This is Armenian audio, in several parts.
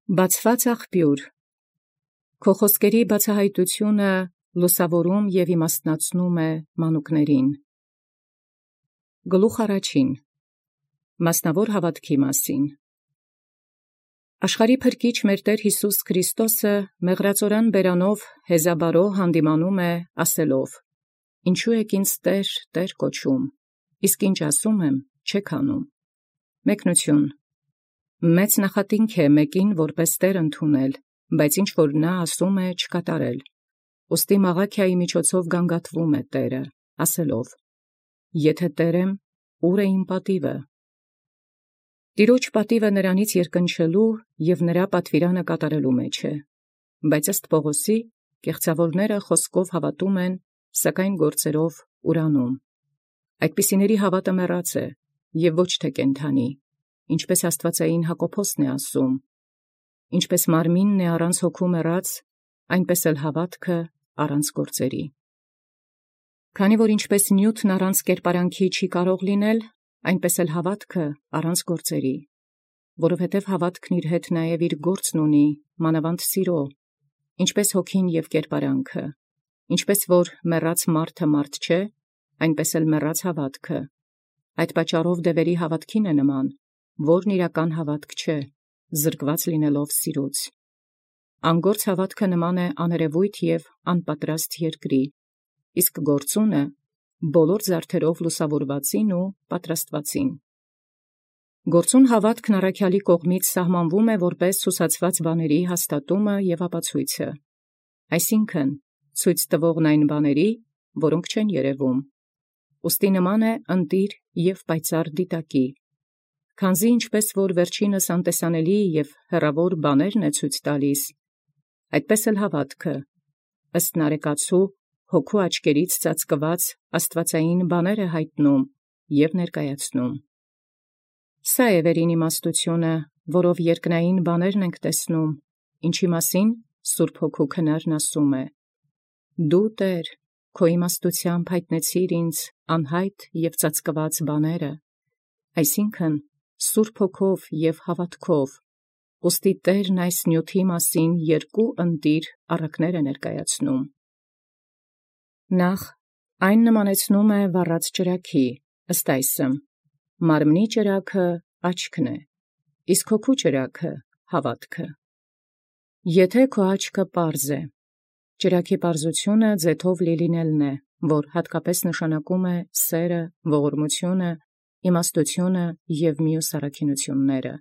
Բացված աղբյուր, քո խոսքերի բացահայտությունը լուսավորում և իմաստնացնում է մանուկներին։ Գլուխ առաջին. Մասնավոր հավատքի մասին։ Աշխարհի փրկիչ մեր Տեր Յիսուս Քրիստոսը մեղրածորան բերանով հեզաբարոյ հանդիմանում է ասելով. «Ինչու եք ինձ Տեր, Տեր կոչում, իսկ ինչ ասում եմ, չեք անում»։ Մեկնություն. Մեծ նախատինք է մեկին որպես Տեր ընդունել, բայց ինչ որ նա ասում է չկատարել։ Ուստի մաղաքիայի միջոցով գանգատվում է Տերը, ասելով. «Եթե Տեր եմ, ուր է իմ պատիվը»։ Տիրոջ պատիվը նրանից երկնչելու և նրա պատվիրանը կատարելու մեջ է, բայց ըստ Պողոսի, կեղծավորները խոսքով հավատում են, սակայն գործերով ուրանում։ Այդպիսիների հավատը մեռած է և ոչ թե կենդանի, ինչպես աստվածային Հակոբոսն է ասում. «Ինչպես մարմինն է առանց հոգու մեռած, այնպես էլ հավատքը առանց գործերի»։ Քանի որ ինչպես նյութն առանց կերպարանքի չի կարող լինել, այնպես էլ հավատքը առանց գործերի, որովհետև հավատքն իր հետ նաև իր գործն ունի, մանավանդ սիրո, ինչպես հոգին և կերպարանքը, ինչպես որ մեռած մարդը մարդ չէ, այնպես էլ մեռած հավատքը։ Այդ պատճառով դևերի հավատքին է նման, որն իրական հավատք չէ, զրկված լինելով սիրուց։ Անգործ հավատքը նման է աներևույթ և անպատրաստ երկրի, իսկ գործունը բոլոր զարդերով լուսավորվածին ու պատրաստվածին։ Գործուն հավատքն առաքյալի կողմից սահմանվում է որպես հուսացված բաների հաստատումը և ապացույցը, այսինքն ցույց տվողն այն բաների, որոնք չեն երևում։ Ուստի նման է ընտիր և պայծառ դիտակի, քանզի ինչպես որ վերջինս անտեսանելի և հեռավոր բաներն է ցույց տալիս, այդպես էլ հավատքը ըստ նարեկացու հոգու աչքերից ծածկված աստվածային բաներ է հայտնում և ներկայացնում։ Սա է վերին իմաստությունը, որով երկնային բաներն ենք տեսնում, ինչի մասին Սուրբ Հոգու քնարն ասում է. «Դու, Տեր, քո իմաստությամբ հայտնեցիր ինձ անհայտ և ծածկված բաները», այսինքն Սուրբ Հոգով և հավատքով, ուստի Տերն այս նյութի մասին երկու ընտիր առակներ է ներկայացնում։ Նախ այն նմանեցնում է վառած ճրագի, ըստ այսմ. մարմնի ճրագը աչքն է, իսկ հոգու ճրագը հավատքը։ Եթե քո աչքը պարզ է, ճրագի պարզությունը ձեթով լինելն է, որ հատկապես նշանակում է սերը, ողորմությունը, իմաստությունը և մյուս առաքինությունները,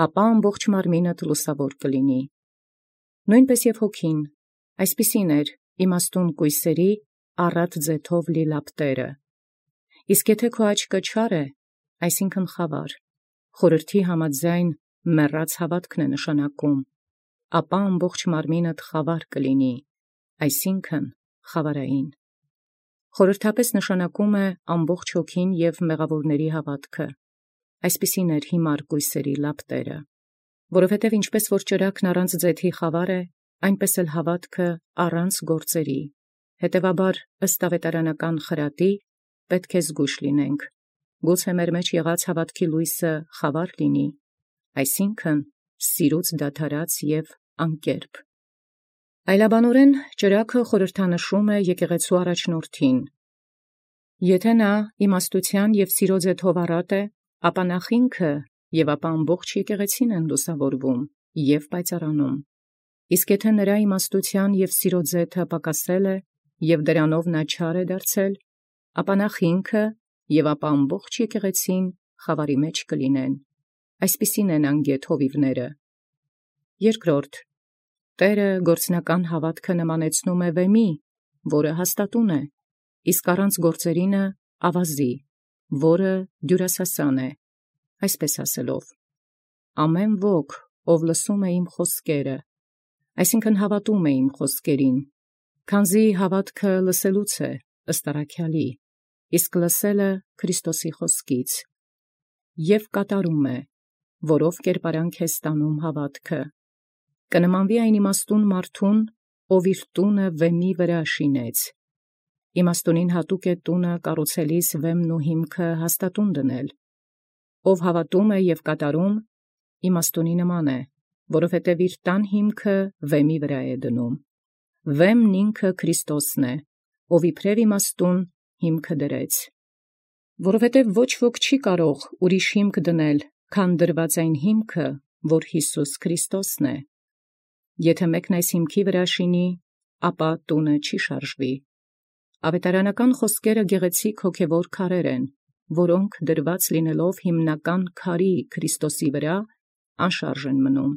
ապա ամբողջ մարմինդ լուսավոր կլինի։ Նույնպես և հոգին, այսպիսին էր իմաստուն կույսերի առատ ձեթով լի լապտերը։ Իսկ եթե քո աչքը չար է, այսինքն խավար, խորհրդի համաձայն մեռած հավատքն է նշանակում, ապա ամբողջ մարմինդ խավար կլինի, այսինքն խավարային։ Խորհրդապես նշանակում է ամբողջ հոգին և մեղավորների հավատքը, այսպիսին էր հիմար կույսերի լապտերը, որովհետև ինչպես որ ճրագն առանց ձեթի խավար է, այնպես էլ հավատքը առանց գործերի, հետևաբար ըստ ավետարանական խրատի պետք է զգույշ լինենք, գուցե մեր մեջ եղած հավատքի լույսը խավար լինի, այսինքն սիրուց դադարած և անկերպ։ Այլաբանորեն ճրագը խորհրդանշում է եկեղեցու առաջնորդին։ Եթե նա իմաստության և սիրո ձեթով առատ է, ապա նախ ինքը և ապա ամբողջ եկեղեցին են լուսավորվում և պայծառանում։ Իսկ եթե նրա իմաստության և սիրո ձեթը պակասել է, և դրանով նա չար է դարձել, ապա նախ ինքը և ապա ամբողջ եկեղեցին խավարի մեջ կլինեն, այսպիսին են անգետ հովիվները։ Երկրորդ, Տերը գործնական հավատքը նմանեցնում է վեմի, որը հաստատուն է, իսկ առանց գործերինը ավազի, որը դյուրասասան է, այսպես ասելով. «Ամեն ոք, ով լսում է իմ խոսքերը», այսինքն հավատում է իմ խոսքերին, քանզի հավատքը լսելուց է, ըստ առաքյալի, իսկ լսելը Քրիստոսի խոսքից, և կատարում է, որով կերպարանք է ստանում հավատքը։ Կնմանվի այն իմաստուն մարդուն, ով իր տունը վեմի վրա շինեց։ Իմաստունին հատուկ է տունը կառուցելիս վեմն ու հիմքը հաստատուն դնել։ Ով հավատում է և կատարում, իմաստունի նման է, որովհետև իր տան հիմքը վեմի վրա է դնում։ Վեմն ինքը Քրիստոսն է, ով իբրև իմաստուն հիմքը դրեց։ Որովհետև ոչ ոք չի կարող ուրիշ հիմք դնել, քան դրված այն հիմքը, որ Յիսուս Քրիստոսն է։ Եթե մեկն այս հիմքի վրա շինի, ապա տունը չի շարժվի։ Ավետարանական խոսքերը գեղեցիկ հոգևոր քարեր են, որոնք դրված լինելով հիմնական քարի Քրիստոսի վրա, անշարժ են մնում։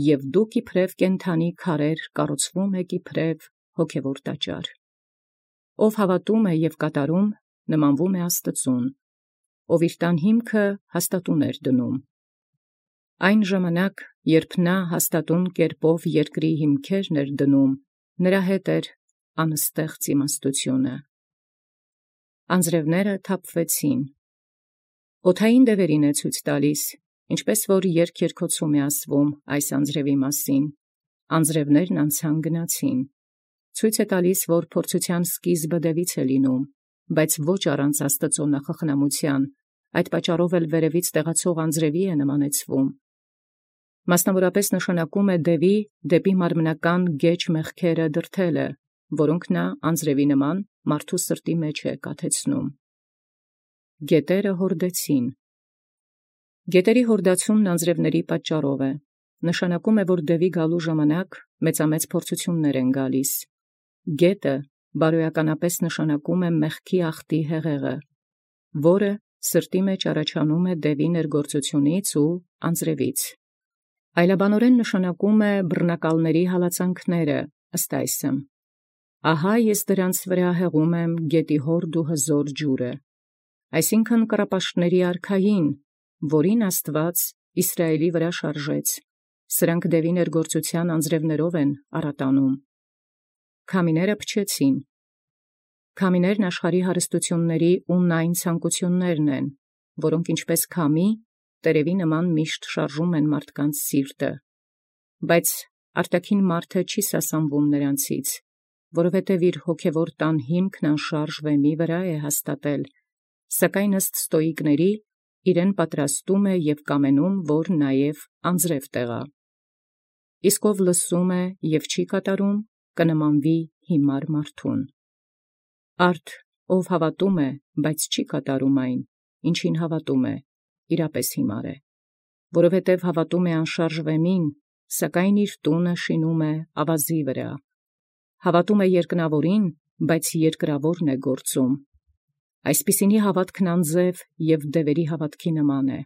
Եվ դուք իբրև կենդանի քարեր կառուցվում եք իբրև հոգևոր տաճար։ Ով հավատում է և կատարում, նմանվում է Աստծուն, ով իր տան հիմքը հաստատուն էր դնում։ Այն ժամանակ, երբ նա հաստատուն կերպով երկրի հիմքերն էր դնում, նրա հետ էր անստեղծ իմաստությունը։ Անձրևները թափվեցին։ Օդային դևերին է ցույց տալիս, ինչպես որ երկերկոցում է ասվում այս անձրևի մասին։ Անձրևներն անցան գնացին։ Ցույց է տալիս, որ փորձության սկիզբը դևից է լինում, բայց ոչ առանց Աստծո նախախնամության, այդ պատճառով էլ վերևից տեղացող անձրևի է նմանեցվում։ Մասնավորապես նշանակում է դևի դեպի մարմնական գեջ մեղքերը դրդելը, որոնք նա անձրևի նման մարդու սրտի մեջ է կաթեցնում։ Գետերը հորդեցին։ Գետերի հորդացումն անձրևների պատճառով է։ Նշանակում է, որ դևի գալու ժամանակ մեծամեծ փորձություններ են գալիս։ Գետը բարոյականապես նշանակում է մեղքի ախտի հեղեղը, որը սրտի մեջ առաջանում է դևի ներգործությունից ու անձրևից։ Այլաբանորեն նշանակում է բռնակալների հալածանքները, ըստ այսը։ Ահա ես դրանց վրա հեղում եմ գետի հորդ ու հզոր ջուրը, այսինքն կռապաշտների արքային, որին Աստված Իսրայելի վրա շարժեց, սրանք դևի ներգործության անձրևներով են առատանում։ Քամիները փչեցին։ Քամիներն աշխարհի հարստությունների ու նայն ցանկություններն են, որոնք ինչպես քամի, տերևի նման միշտ շարժում են մարդկանց սիրտը, բայց արտաքին մարդը չի սասանվում նրանցից, որովհետև իր հոգևոր տան հիմքն անշարժ վեմի վրա է հաստատել, սակայն ըստ ստոիկների իրեն պատրաստում է և կամենում, որ նաև անձրև տեղա։ Իսկ ով լսում է և չի կատարում, կնմանվի հիմար մարդուն։ Արդ ով հավատում է, բայց չի կատարում այն, ինչին հավատում է, իրապես հիմար է, որովհետև հավատում է անշարժ վեմին, սակայն իր տունը շինում է ավազի վրա։ Հավատում է երկնավորին, բայց երկրավորն է գործում։ Այսպիսինի հավատքն անձև և դևերի հավատքի նման է։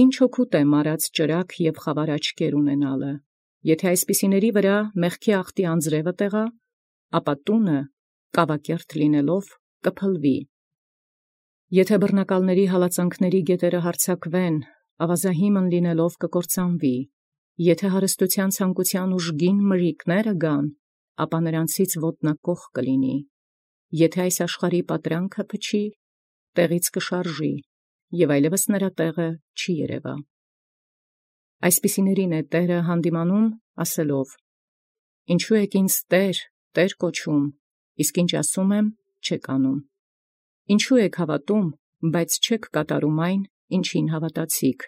Ինչ օգուտ է մարած ճրագ և խավար աչքեր ունենալը, եթե այսպիսիների վրա մեղքի ախտի անձրևը տեղա, ապա տունը կավակերտ լինելով կփլվի։ Եթե բռնակալների հալածանքների գետերը հարձակվեն, ավազահիմն լինելով կկործանվի։ Եթե հարստության ցանկության ուժգին մրրիկները գան, ապա նրանցից ոտնակոխ կլինի։ Եթե այս աշխարհի պատրանքը փչի, տեղից կշարժի, և այլևս նրա տեղը չի երևա։ Այսպիսիներին է Տերը հանդիմանում, ասելով. «Ինչու եք ինձ Տեր, Տեր կոչում, իսկ ինչ ասում եմ, չեք անում։ Ինչու եք հավատում, բայց չեք կատարում այն, ինչին հավատացիք,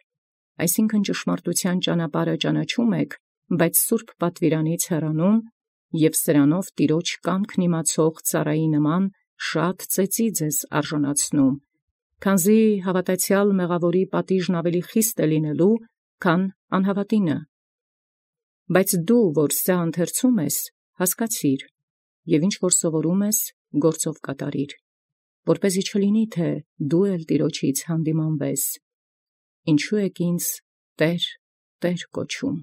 այսինքն ճշմարտության ճանապարհը ճանաչում եք, բայց սուրբ պատվիրանից հեռանում, և սրանով Տիրոջ կամքն իմացող ծառայի նման շատ ծեծի ձեզ արժանացնում, քանզի հավատացյալ մեղավորի պատիժն ավելի խիստ է լինելու, քան անհավատինը։ Բայց դու, որ սա ընթերցում ես, հասկացիր, և ինչ որ սովորում ես, գործով կատարիր, որպեսզի չլինի, թե դու էլ Տիրոջից հանդիմանվես. ինչու եք ինձ Տեր, Տեր կոչում։